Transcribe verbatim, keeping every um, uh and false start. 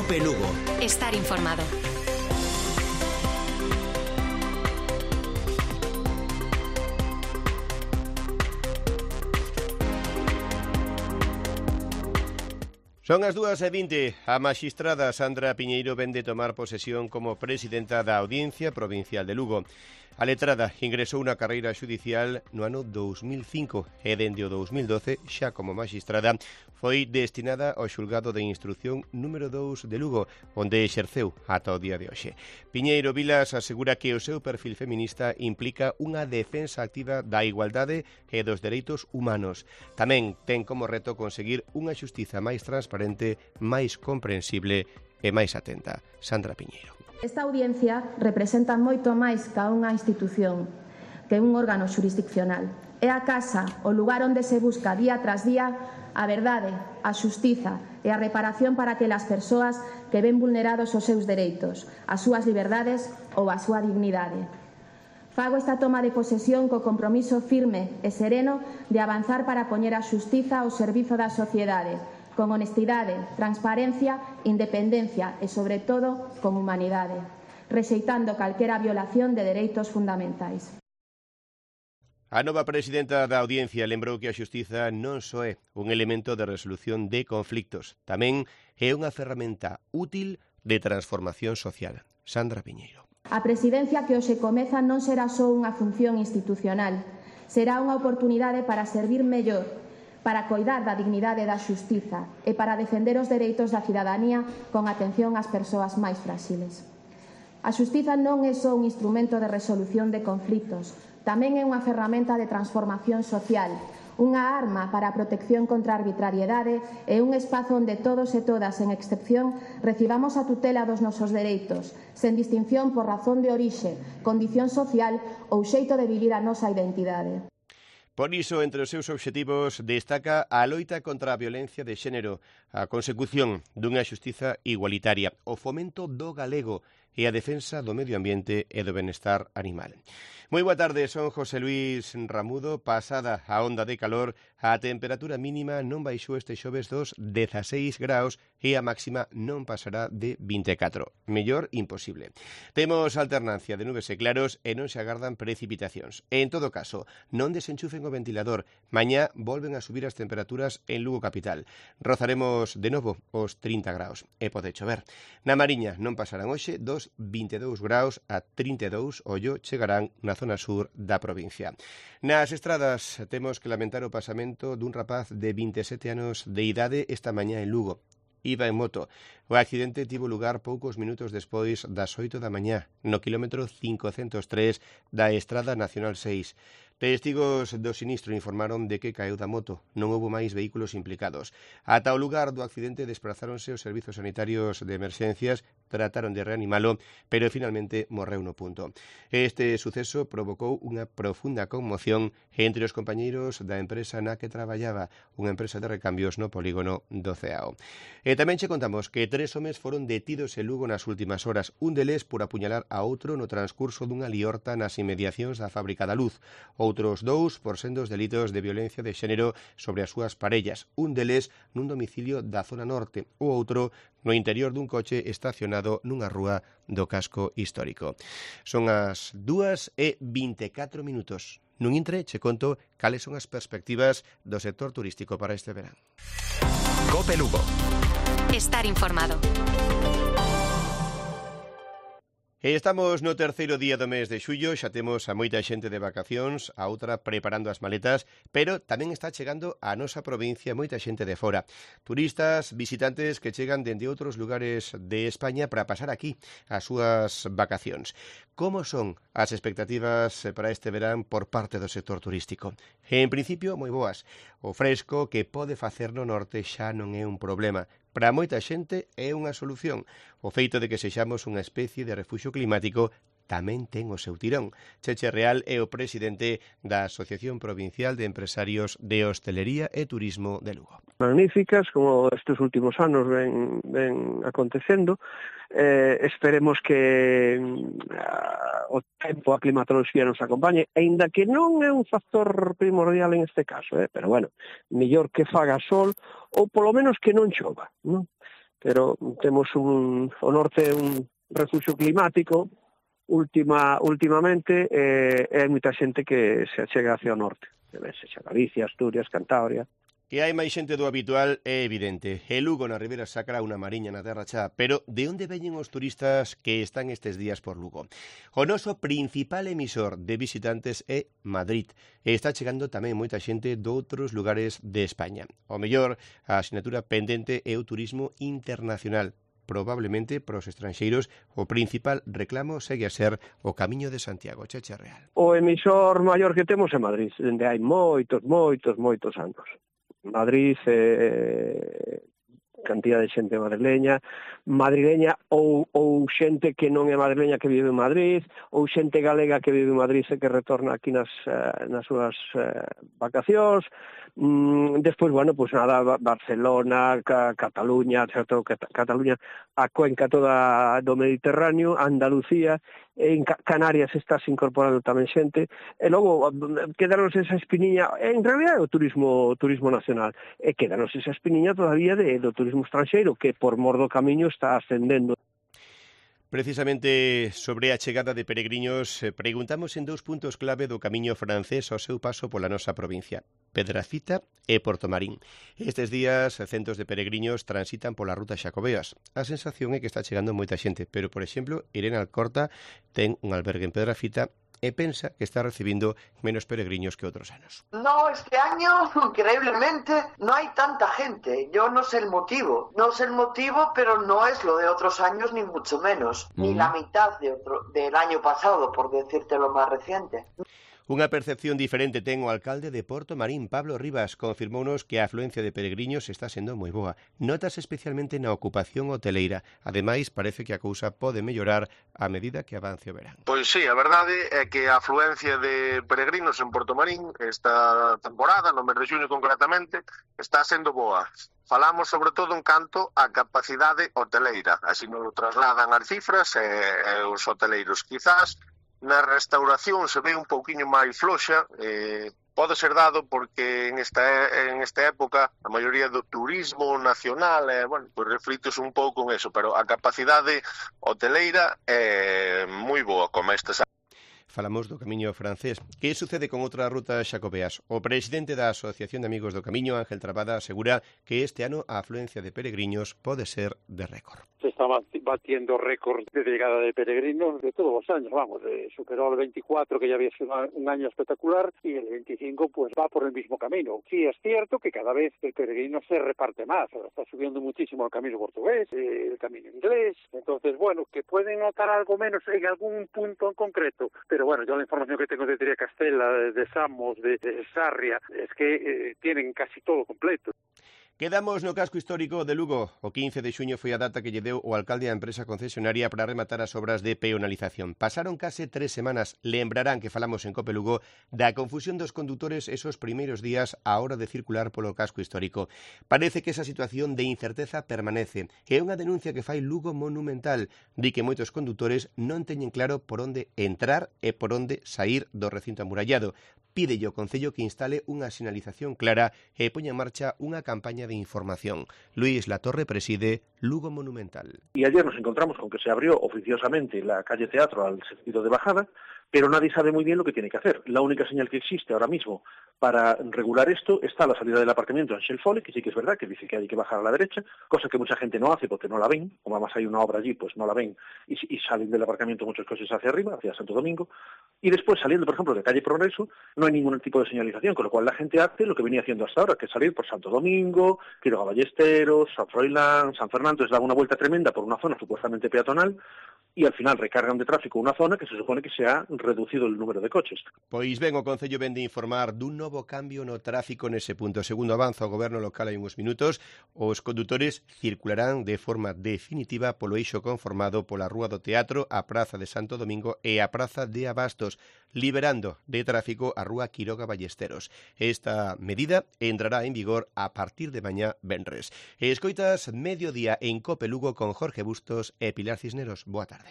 Cope Lugo. Estar informado. Son as dúas e vinte. A maxistrada Sandra Piñeiro vén de tomar posesión como presidenta da Audiencia Provincial de Lugo. A letrada ingresou na carreira xudicial no ano dous mil cinco e dende o dous mil doce, xa como maxistrada, foi destinada ao xulgado de instrucción número dous de Lugo, onde exerceu ata o día de hoxe. Piñeiro Vilas asegura que o seu perfil feminista implica unha defensa activa da igualdade e dos dereitos humanos. Tamén ten como reto conseguir unha xustiza máis transparente, máis comprensible e máis atenta. Sandra Piñeiro. Esta audiencia representa moito máis que unha institución, que un órgano xurisdiccional. É a casa, o lugar onde se busca día tras día a verdade, a xustiza e a reparación para aquelas persoas que ven vulnerados os seus dereitos, as súas liberdades ou a súa dignidade. Fago esta toma de posesión co compromiso firme e sereno de avanzar para poñer a xustiza ao servizo da sociedade, con honestidade, transparencia, independencia e, sobre todo, con humanidade, rexeitando calquera violación de dereitos fundamentais. A nova presidenta da Audiencia lembrou que a xustiza non só é un elemento de resolución de conflictos, tamén é unha ferramenta útil de transformación social. Sandra Piñeiro. A presidencia que hoxe comeza non será só unha función institucional, será unha oportunidade para servir mellor, para coidar da dignidade da xustiza e para defender os dereitos da cidadanía con atención ás persoas máis fráxiles. A xustiza non é só un instrumento de resolución de conflitos, tamén é unha ferramenta de transformación social, unha arma para a protección contra a arbitrariedade e un espazo onde todos e todas, en excepción, recibamos a tutela dos nosos dereitos, sen distinción por razón de orixe, condición social ou xeito de vivir a nosa identidade. Por iso, entre os seus obxectivos, destaca a loita contra a violencia de xénero, a consecución dunha xustiza igualitaria, o fomento do galego e a defensa do medio ambiente e do benestar animal. Moi boa tarde, son José Luis Ramudo. Pasada a onda de calor, a temperatura mínima non baixou este xoves dos dezaseis graus e a máxima non pasará de vinte e catro. Mellor imposible. Temos alternancia de nubes e claros e non se agardan precipitacións. En todo caso, non desenchufen o ventilador. Mañá volven a subir as temperaturas en Lugo capital. Rozaremos de novo os trinta graus e pode chover. Na Mariña non pasarán hoxe dos vinte e dous graus a trinta e dous, ollo, chegarán na zona sur da provincia. Nas estradas temos que lamentar o pasamento dun rapaz de vinte e sete anos de idade esta mañá en Lugo. Iba en moto. O accidente tivo lugar poucos minutos despois das oito da mañá, no quilómetro cincocentos tres da Estrada Nacional seis. Testigos do sinistro informaron de que caeu da moto. Non houbo máis vehículos implicados. Ata o lugar do accidente desprazáronse os servizos sanitarios de emerxencias, trataron de reanimalo, pero finalmente morreu no punto. Este suceso provocou unha profunda conmoción entre os compañeiros da empresa na que traballaba, unha empresa de recambios no polígono do Ceao. E tamén che contamos que tres homes foron detidos en Lugo nas últimas horas, un deles por apuñalar a outro no transcurso dunha liorta nas inmediacións da Fábrica da Luz. Outros dous por sendos delitos de violencia de xénero sobre as súas parellas, un deles nun domicilio da zona norte, o outro no interior dun coche estacionado nunha rúa do casco histórico. Son as dúas e vinte e catro minutos. Nun intre, che conto cales son as perspectivas do sector turístico para este verán. Cope Lugo. Estar informado. E estamos no terceiro día do mes de xullo, xa temos a moita xente de vacacións, a outra preparando as maletas, pero tamén está chegando a nosa provincia moita xente de fora. Turistas, visitantes que chegan dende outros lugares de España para pasar aquí as súas vacacións. Como son as expectativas para este verán por parte do sector turístico? En principio, moi boas. O fresco que pode facer no norte xa non é un problema. Para moita xente é unha solución. O feito de que sexamos unha especie de refuxio climático tamén ten o seu tirón. Cheche Real é o presidente da Asociación Provincial de Empresarios de Hostelería e Turismo de Lugo. Magníficas, como estes últimos anos ven, ven acontecendo. Eh, esperemos que uh, o tempo, a climatoloxía nos acompañe, aínda que non é un factor primordial en este caso, eh? Pero bueno, mellor que faga sol ou polo menos que non chova, non? pero temos un, o norte un refugio climático última, últimamente e, e hai moita xente que se achega hacia o norte, sexa Galicia, Asturias, Cantabria. Que hai máis xente do habitual é evidente. E Lugo na Ribeira Sacra unha mariña na terra xa. Pero de onde veñen os turistas que están estes días por Lugo? O noso principal emisor de visitantes é Madrid. E está chegando tamén moita xente doutros lugares de España. O mellor, a asignatura pendente é o turismo internacional. Probablemente para os estranxeiros o principal reclamo segue a ser o Camiño de Santiago, Cheche Real. O emisor maior que temos é Madrid, dende hai moitos, moitos, moitos anos. Madrid, eh, cantidad de xente madrileña, madrileña ou, ou xente que non é madrileña que vive en Madrid, ou xente galega que vive en Madrid e que retorna aquí nas, eh, nas súas eh, vacacións. Mm, despois, bueno, pues nada, Barcelona, Ca Cataluña, certo, Cataluña, a cuenca toda do Mediterráneo, Andalucía, en Canarias está se incorporando tamén xente, e logo quedanos esa espiniña, en realidad é o turismo turismo nacional, e quedanos esa espiniña todavía de, do turismo estranxeiro, que por mor do camiño está ascendendo. Precisamente sobre a chegada de peregrinos, preguntamos en dous puntos clave do camiño francés ao seu paso pola nosa provincia, Pedrafita e Portomarín. Estes días, centos de peregrinos transitan pola ruta Xacobeas. A sensación é que está chegando moita xente, pero, por exemplo, Irene Alcorta ten un albergue en Pedrafita e pensa que está recibindo menos peregrinos que otros años. No, este año, increíblemente, no hay tanta gente. Yo no sé el motivo. No sé el motivo, pero no es lo de otros años, ni mucho menos. Mm. Ni la mitad de otro, del año pasado, por decirte lo más reciente. Unha percepción diferente ten o alcalde de Portomarín, Pablo Rivas, confirmounos que a afluencia de peregrinos está sendo moi boa. Notas especialmente na ocupación hoteleira. Ademais, parece que a cousa pode mellorar a medida que avance o verán. Pois sí, a verdade é que a afluencia de peregrinos en Portomarín esta temporada, no mes de xuño concretamente, está sendo boa. Falamos sobre todo en canto á capacidade hoteleira, así nos trasladan as cifras e, e os hoteleiros. Quizás na restauración se ve un pouquiño máis floxa, eh, pode ser dado porque en esta, en esta época a maioría do turismo nacional eh, bueno, pues reflitos un pouco en eso, pero a capacidade hoteleira é moi boa como estas. Falamos do Camiño francés. Que sucede con outra ruta Xacobeas? O presidente da Asociación de Amigos do Camiño, Ángel Trabada, asegura que este ano a afluencia de peregrinos pode ser de récord. Se está batiendo récord de llegada de peregrinos de todos los años, vamos, eh, superó el veinticuatro, que ya había sido un año espectacular, y el veinticinco pues va por el mismo camino. Sí es cierto que cada vez el peregrino se reparte más, está subiendo muchísimo el camino portugués, eh, el camino inglés, entonces bueno, que pueden notar algo menos en algún punto en concreto, pero bueno, yo la información que tengo de Triacastela, de, de Samos, de, de Sarria, es que eh, tienen casi todo completo. Quedamos no casco histórico de Lugo. O quince de xuño foi a data que lle deu o alcalde á empresa concesionaria para rematar as obras de peonalización. Pasaron case tres semanas. Lembrarán que falamos en Cope Lugo da confusión dos condutores esos primeiros días á hora de circular polo casco histórico. Parece que esa situación de incerteza permanece. É unha denuncia que fai Lugo Monumental. Di que moitos condutores non teñen claro por onde entrar e por onde sair do recinto amurallado. Pídelle ao Concello que instale unha sinalización clara e poña en marcha unha campaña de información. Luis Latorre preside Lugo Monumental. Y ayer nos encontramos con que se abrió oficiosamente la calle Teatro al sentido de bajada, pero nadie sabe muy bien lo que tiene que hacer. La única señal que existe ahora mismo para regular esto está a la salida del aparcamiento en Shell Foley, que sí que es verdad, que dice que hay que bajar a la derecha, cosa que mucha gente no hace porque no la ven, como además hay una obra allí, pues no la ven, y, y salen del aparcamiento muchos coches hacia arriba, hacia Santo Domingo, y después saliendo, por ejemplo, de calle Progreso, no hay ningún tipo de señalización, con lo cual la gente hace lo que venía haciendo hasta ahora, que es salir por Santo Domingo, Quiroga Ballesteros, San Froilán, San Fernando, es dar una vuelta tremenda por una zona supuestamente peatonal, y al final recargan de tráfico una zona que se supone que se ha reducido el número de coches. Pois ben, o Concello vende informar dun novo cambio no tráfico nese punto. Segundo avanza o goberno local hai uns minutos, os condutores circularán de forma definitiva polo eixo conformado pola Rúa do Teatro, a Praza de Santo Domingo e a Praza de Abastos, liberando de tráfico a Rúa Quiroga Ballesteros. Esta medida entrará en vigor a partir de mañá venres. E escoitas Mediodía en Cope Lugo con Jorge Bustos e Pilar Cisneros. Boa tarde.